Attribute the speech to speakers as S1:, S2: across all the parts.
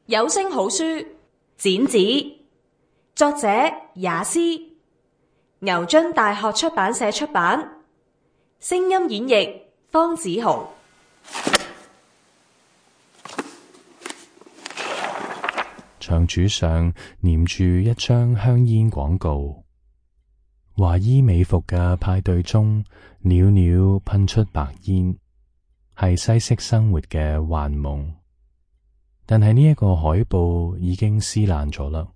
S1: 有聲好書剪紙，作者也斯，牛津大學出版社出版，聲音演繹方梓豪。
S2: 牆柱上粘住一張香煙廣告，華衣美服嘅派對中，裊裊噴出白煙，係西式生活嘅幻夢。但係呢一個海報已經撕爛咗啦，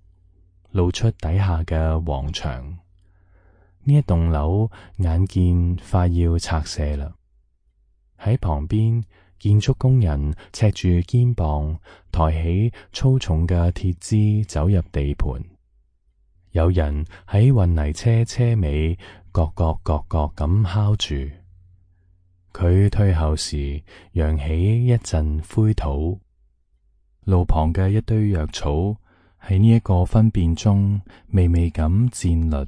S2: 露出底下嘅黃牆。呢一棟樓眼見快要拆卸啦，喺旁邊，建築工人赤住肩膀，抬起粗重嘅鐵枝走入地盤。有人喺運泥車車尾咯咯咯咯咁敲住。佢退後時，揚起一陣灰土。路旁嘅一堆藥草喺呢一個分辨中微微咁戰慄。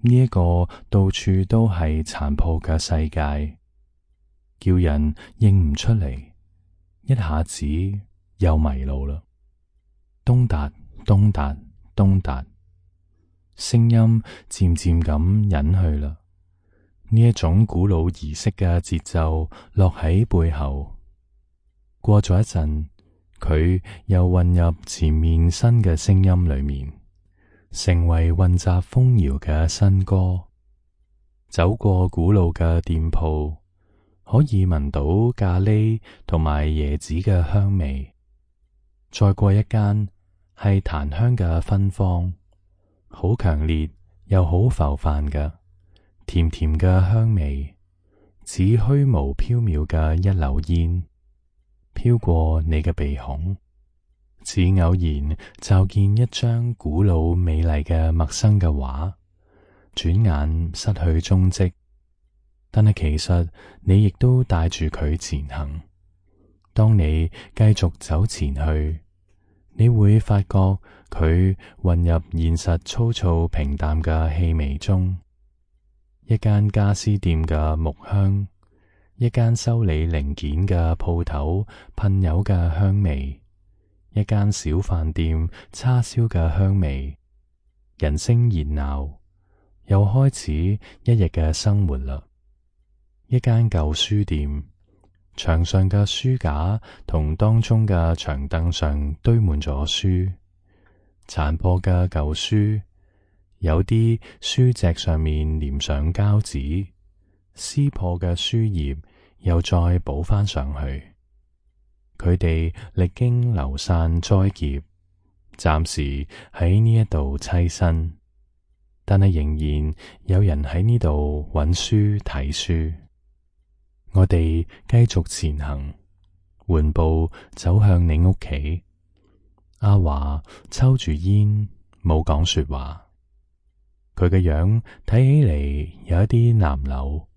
S2: 呢一個到處都係殘破嘅世界，叫人認唔出嚟，一下子又迷路啦。東達東達東達，聲音漸漸咁隱去啦。呢一種古老儀式嘅節奏落喺背後。過咗一陣，佢又混入前面新嘅聲音裏面，成為混雜風搖嘅新歌。走過古老嘅店鋪，可以聞到咖喱同埋椰子嘅香味。再過一間係檀香嘅芬芳，好強烈又好浮泛嘅，甜甜嘅香味，似虛無縹緲嘅一縷煙，飄過你嘅鼻孔，似偶然驟見一張古老美麗嘅陌生嘅畫，轉眼失去蹤跡。但係其實你亦都帶住佢前行。當你繼續走前去，你會發覺佢混入現實粗糙平淡嘅氣味中。一間家私店嘅木香，一間修理零件嘅鋪頭噴油嘅香味，一間小飯店叉燒嘅香味。人聲熱鬧，又開始一日嘅生活啦。一間舊書店，牆上嘅書架同當中嘅長凳上堆滿咗書，殘破嘅舊書，有啲書脊上面粘上膠紙，撕破嘅書頁又再補返上去。佢哋歷經流散災劫，暫時喺呢一度棲身，但係仍然有人喺呢度揾書睇書。我哋繼續前行，緩步走向你屋企。阿華抽住煙，冇講說話。佢嘅樣睇起嚟有一啲南柳，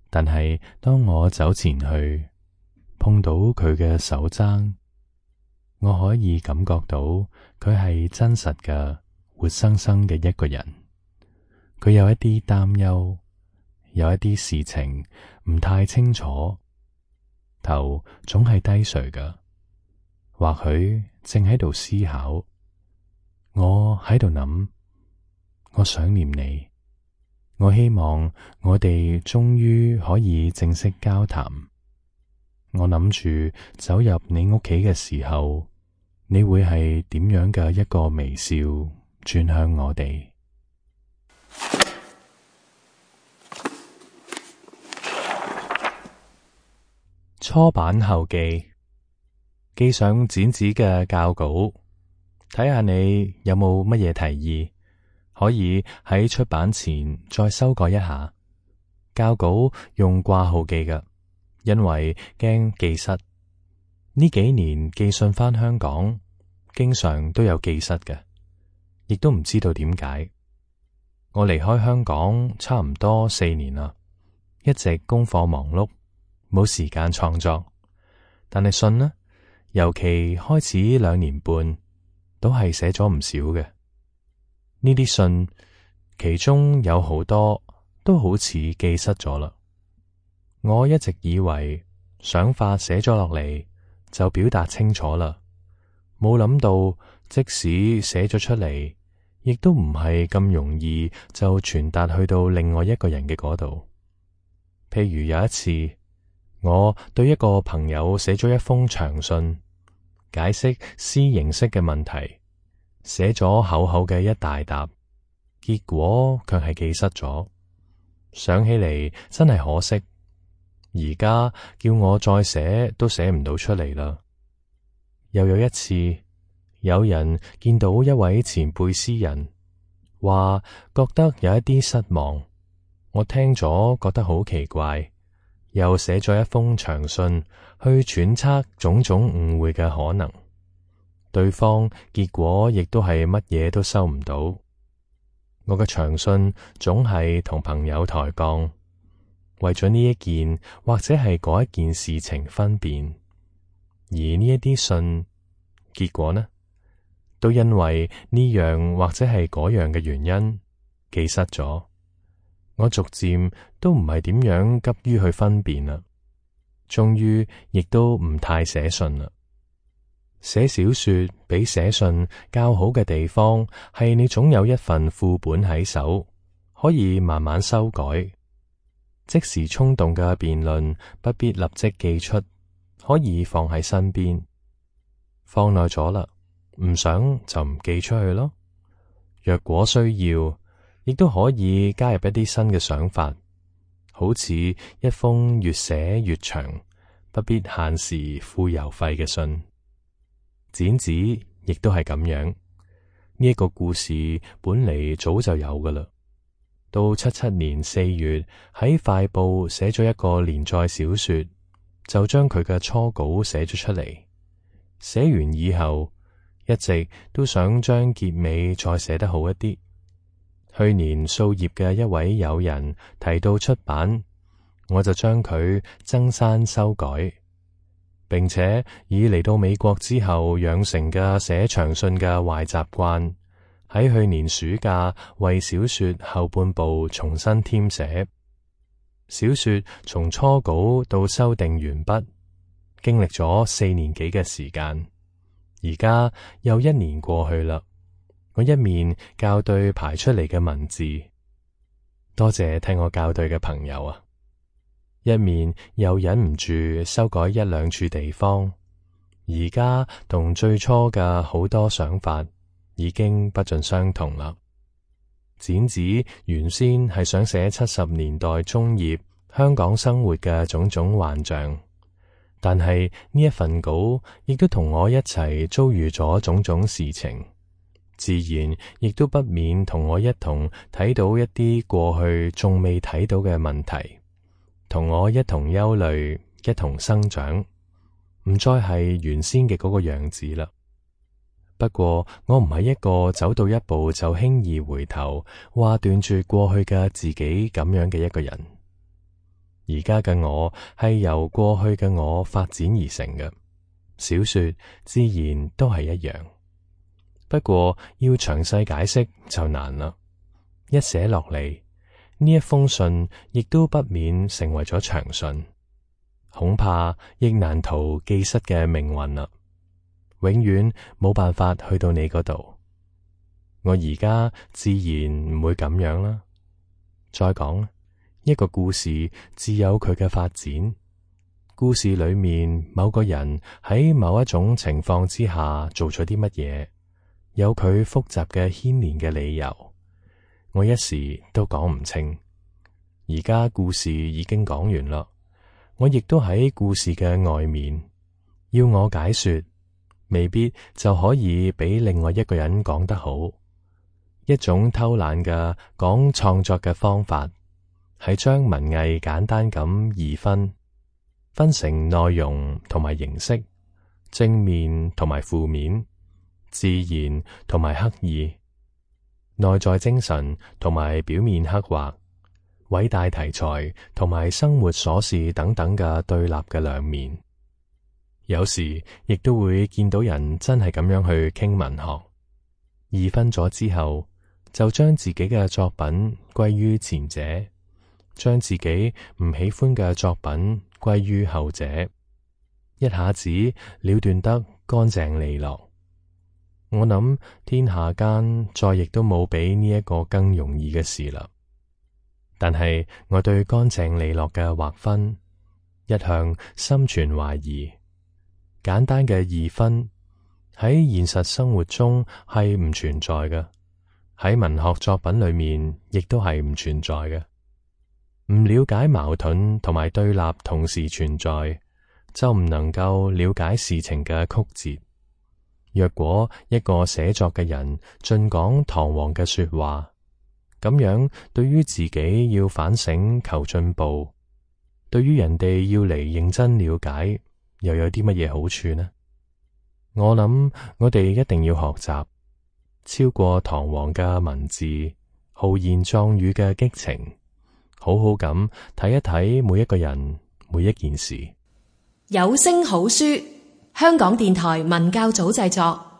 S2: 但係當我走前去，碰到佢嘅手踭，我可以感覺到佢係真實嘅、活生生嘅一個人。佢有一啲擔憂，有一啲事情唔太清楚，頭總係低垂嘅，或許正喺度思考。我喺度諗，我想念你，我希望我哋終於可以正式交談。我諗住走入你屋企嘅時候，你會係點樣嘅一個微笑轉向我哋。初版後記，寄上剪紙嘅校稿，睇下你有冇乜嘢提議，可以喺出版前再修改一下。校稿用掛號寄嘅，因為驚寄失。呢幾年寄信返香港，經常都有寄失嘅，亦都唔知道點解。我離開香港差唔多4年啦，一直功課忙碌，冇時間創作。但係信呢，尤其開始2年半，都係寫咗唔少嘅。呢啲信，其中有好多都好似寄失咗啦。我一直以為想法寫咗落嚟就表達清楚啦，冇諗到即使寫咗出嚟，亦都唔係咁容易就傳達去到另外一個人嘅嗰度。譬如有一次，我對一個朋友寫咗一封長信，解釋詩形式嘅問題，寫咗厚厚嘅一大沓，結果卻係記失咗。想起嚟真係可惜，而家叫我再寫都寫唔到出嚟啦。又有一次，有人見到一位前輩詩人，話覺得有一啲失望，我聽咗覺得好奇怪，又寫咗一封長信去揣測種種誤會嘅可能。對方結果亦都係乜嘢都收唔到。我嘅長信總係同朋友抬槓，為咗呢一件或者係嗰一件事情分辨，而呢一啲信結果呢，都因為呢樣或者係嗰樣嘅原因記失咗。我逐漸都唔係點樣急於去分辨啦，終於亦都唔太寫信啦。寫小說比寫信較好嘅地方係你總有一份副本喺手，可以慢慢修改。即時衝動嘅辯論不必立即寄出，可以放喺身邊。放耐咗啦，唔想就唔寄出去咯。若果需要，亦都可以加入一啲新嘅想法，好似一封越寫越長，不必限時付郵費嘅信。剪紙亦都係咁樣，呢一個故事本嚟早就有噶啦。到77年4月喺快報寫咗一個連載小說，就將佢嘅初稿寫咗出嚟。寫完以後，一直都想將結尾再寫得好一啲。去年掃葉嘅一位友人提到出版，我就將佢增刪修改。並且以嚟到美國之後養成嘅寫長信嘅壞習慣，喺去年暑假為小說後半部重新添寫。小說從初稿到修訂完畢，經歷咗4年幾嘅時間。而家又1年過去啦，我一面校對排出嚟嘅文字，多謝替我校對嘅朋友啊！一面又忍唔住修改1、2處地方，而家同最初嘅好多想法已經不盡相同啦。剪紙原先係想寫70年代中葉香港生活嘅種種幻象，但係呢一份稿亦都同我一齊遭遇咗種種事情，自然亦都不免同我一同睇到一啲過去仲未睇到嘅問題。同我一同憂慮，一同生長，唔再係原先嘅嗰個樣子啦。不過我唔係一個走到一步就輕易回頭，話斷住過去嘅自己咁樣嘅一個人。而家嘅我係由過去嘅我發展而成嘅，小說自然都係一樣。不過要詳細解釋就難啦，一寫落嚟，呢一封信亦都不免成為咗長信，恐怕亦難逃記失嘅命運啦。永遠冇辦法去到你嗰度，我而家自然唔會咁樣啦。再講，一個故事自有佢嘅發展，故事裏面某個人喺某一種情況之下做咗啲乜嘢，有佢複雜嘅牽連嘅理由。我一時都講唔清，而家故事已經講完啦，我亦都喺故事嘅外面，要我解說，未必就可以比另外一個人講得好。一種偷懶嘅講創作嘅方法，係將文藝簡單咁二分成內容同埋形式，正面同埋負面，自然同埋刻意，內在精神同埋表面刻畫，偉大題材同埋生活瑣事等等嘅對立嘅兩面。有時亦都會見到人真係咁樣去傾文學，二分咗之後，就將自己嘅作品歸於前者，將自己唔喜歡嘅作品歸於後者，一下子了斷得乾淨利落。我諗天下間再亦都冇比呢一個更容易嘅事啦。但係我對乾淨利落嘅劃分一向心存懷疑。簡單嘅二分喺現實生活中係唔存在嘅，喺文學作品裏面亦都係唔存在嘅。唔了解矛盾同埋對立同時存在，就唔能夠了解事情嘅曲折。若果一個寫作嘅人盡講堂皇嘅說話，咁樣對於自己要反省求進步，對於人哋要嚟認真了解，又有啲乜嘢好處呢？我諗我哋一定要學習超過堂皇嘅文字、豪言壯語嘅激情，好好咁睇一睇每一個人、每一件事。
S3: 有聲好書，香港電台文教組製作。